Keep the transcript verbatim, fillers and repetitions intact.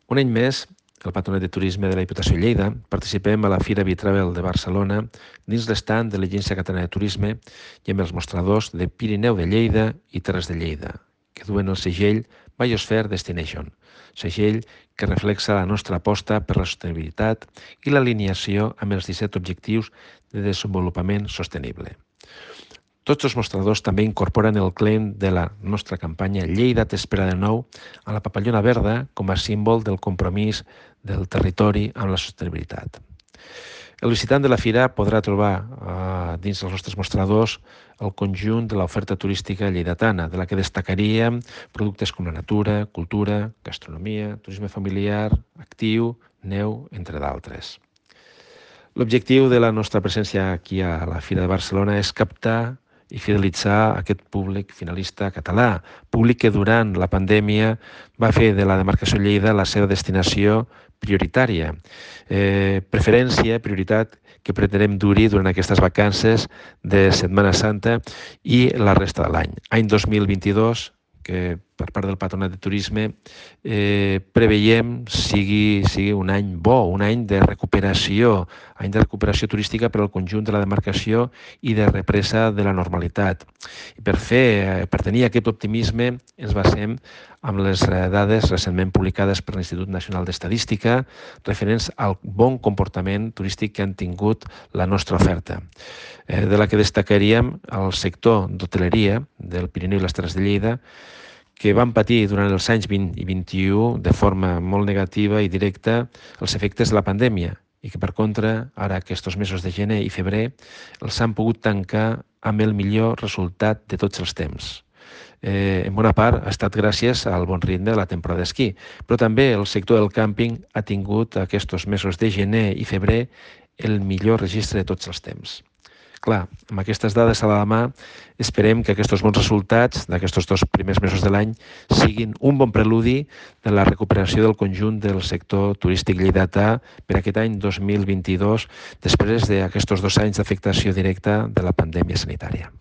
Un any més, el Patronat de Turisme de la Diputació de Lleida participem a la Fira Bitravel de Barcelona dins l'estand de l'Agència Catalana de Turisme i amb els mostradors de Pirineu de Lleida i Terres de Lleida, que duen el segell Biosphere Destination, segell que reflexa la nostra aposta per la sostenibilitat i l'alineació amb els disset Objectius de Desenvolupament Sostenible. Tots els mostradors també incorporen el claim de la nostra campanya Lleida t'espera de nou a la papallona verda com a símbol del compromís del territori amb la sostenibilitat. El visitant de la fira podrà trobar eh, dins dels nostres mostradors el conjunt de l'oferta turística lleidatana, de la que destacaríem productes com la natura, cultura, gastronomia, turisme familiar, actiu, neu, entre d'altres. L'objectiu de la nostra presència aquí a la Fira de Barcelona és captar i fidelitzar aquest públic finalista català, públic que durant la pandèmia va fer de la demarcació Lleida la seva destinació prioritària. Eh, preferència, prioritat que pretenem dur-hi durant aquestes vacances de Setmana Santa i la resta de l'any. Any dos mil vint-i-dos, que per part del Patronat de Turisme eh, preveiem sigui, sigui un any bo, un any de recuperació, any de recuperació turística per al conjunt de la demarcació i de represa de la normalitat. I per fer, per tenir aquest optimisme ens basem amb les dades recentment publicades per l'Institut Nacional d'Estadística referents al bon comportament turístic que han tingut la nostra oferta, eh, de la que destacaríem el sector d'hoteleria del Pirineu i les Terres de Lleida, que van patir durant els anys vint i vint-i-u de forma molt negativa i directa els efectes de la pandèmia i que, per contra, ara aquests mesos de gener i febrer els han pogut tancar amb el millor resultat de tots els temps. Eh, en bona part ha estat gràcies al bon ritme de la temporada d'esquí, però també el sector del càmping ha tingut aquests mesos de gener i febrer el millor registre de tots els temps. Clar, amb aquestes dades a la mà, esperem que aquests bons resultats d'aquests dos primers mesos de l'any siguin un bon preludi de la recuperació del conjunt del sector turístic lleidatà per aquest any dos mil vint-i-dos, després d'aquests dos anys d'afectació directa de la pandèmia sanitària.